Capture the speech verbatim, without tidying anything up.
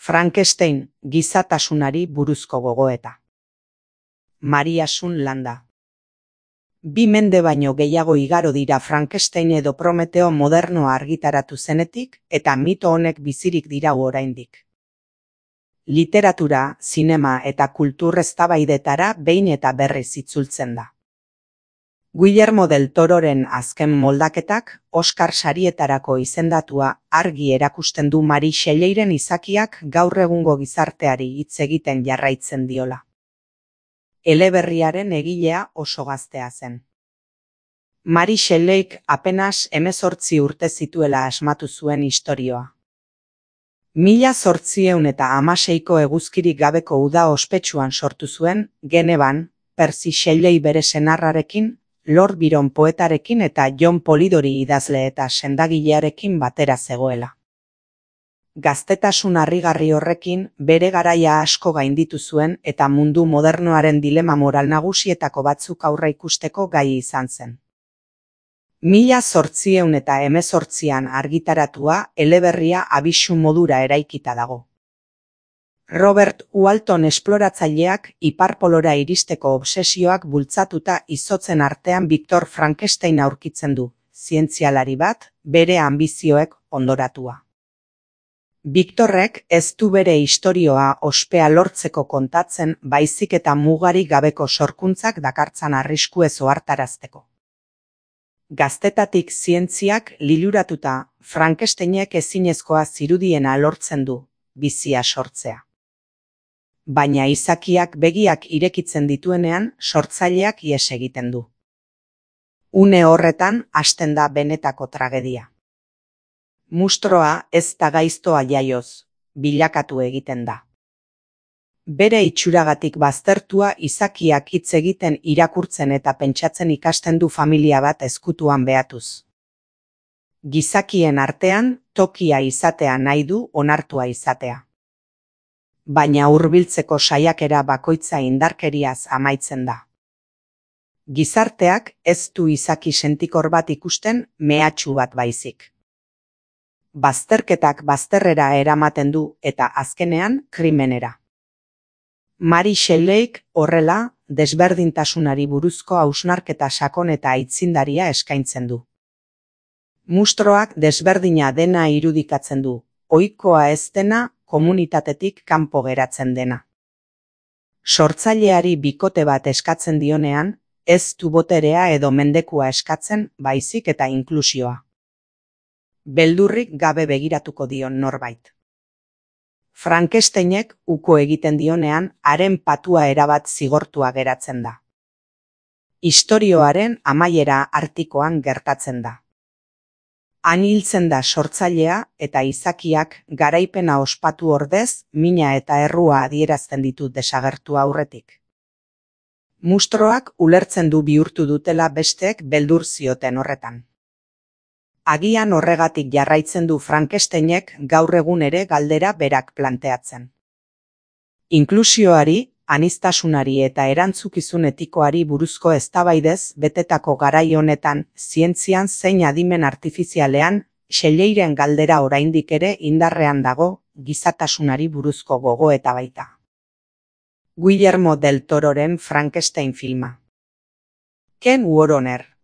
Frankenstein, gizatasunari buruzko gogoeta. Maria Sun Landa. Bi mende baino gehiago igaro dira Frankenstein edo Prometeo modernoa argitaratu zenetik, eta mito honek bizirik dirau oraindik. Literatura, zinema eta kultur eztabaidetara behin eta berriz itzultzen da. Guillermo del Tororen azken moldaketak, Oscar sarietarako izendatua, argi erakusten du Mari Shelleiren izakiak gaur egungo gizarteari hitz egiten jarraitzen diola. Eleberriaren egilea oso gaztea zen. Mari Shelleik apenas hemezortzi urte zituela asmatu zuen istorioa. Mila zortziehun eta hamaseiko eguzkirik gabeko uda ospetsuan sortu zuen, Genevan, Percy Shelley bere senarrarekin, Lord Byron poetarekin eta John Polidori idazle eta sendagilearekin batera zegoela. Gaztetasun harrigarri horrekin bere garaia asko gainditu zuen eta mundu modernoaren dilema moral nagusietako batzuk aurre ikusteko gai izan zen. Mila zortziehun eta hemezortzian argitaratua eleberria abisu modura eraikita dago. Robert Walton esploratzaileak iparpolora iristeko obsesioak bultzatuta izotzen artean Victor Frankenstein aurkitzen du, zientzialari bat, bere anbizioek ondoratua. Victorrek ez du bere istorioa ospea lortzeko kontatzen baizik eta mugarik gabeko sorkuntzak dakartzan arriskuez ohartarazteko. Gaztetatik zientziak liluratuta, Frankensteinek ezinezkoa zirudiena lortzen du, bizia sortzea. Baina izakiak begiak irekitzen dituenean sortzaileak ihes egiten du. Une horretan hasten da benetako tragedia. Mustroa ez da gaiztoa jaioz, bilakatu egiten da. Bere itxuragatik baztertua izakiak hitz egiten irakurtzen eta pentsatzen ikasten du familia bat ezkutuan behatuz. Gizakien artean tokia izatea nahi du onartua izatea. Baina hurbiltzeko saiakera bakoitza indarkeriaz amaitzen da. Gizarteak ez du izaki sentikor bat ikusten mehatxu bat baizik. Bazterketak bazterrera eramaten du eta azkenean krimenera. Mari Shelleik horrela desberdintasunari buruzko hausnarketa sakon eta aitzindaria eskaintzen du. Mustroak desberdina dena irudikatzen du, ohikoa ez dena komunitatetik kanpo geratzen dena. Sortzaileari bikote bat eskatzen dionean, ez du boterea edo mendekua eskatzen baizik eta inklusioa. Beldurrik gabe begiratuko dion norbait. Frankensteinek uko egiten dionean haren patua erabat zigortua geratzen da. Istorioaren amaiera artikoan gertatzen da. Han hiltzen da sortzailea eta izakiak garaipena ospatu ordez mina eta errua adierazten ditu desagertu aurretik. Mustroak ulertzen du bihurtu dutela besteek beldur zioten horretan. Agian horregatik jarraitzen du Frankensteinek gaur egun ere galdera berak planteatzen. Inklusioari, aniztasunari eta erantzukizun etikoari buruzko eztabaidez betetako garai honetan zientzian zein adimen artifizialean Shelleiren galdera oraindik ere indarrean dago gizatasunari buruzko gogoeta baita. Guillermo del Tororen Frankenstein filma. Ken Woroner.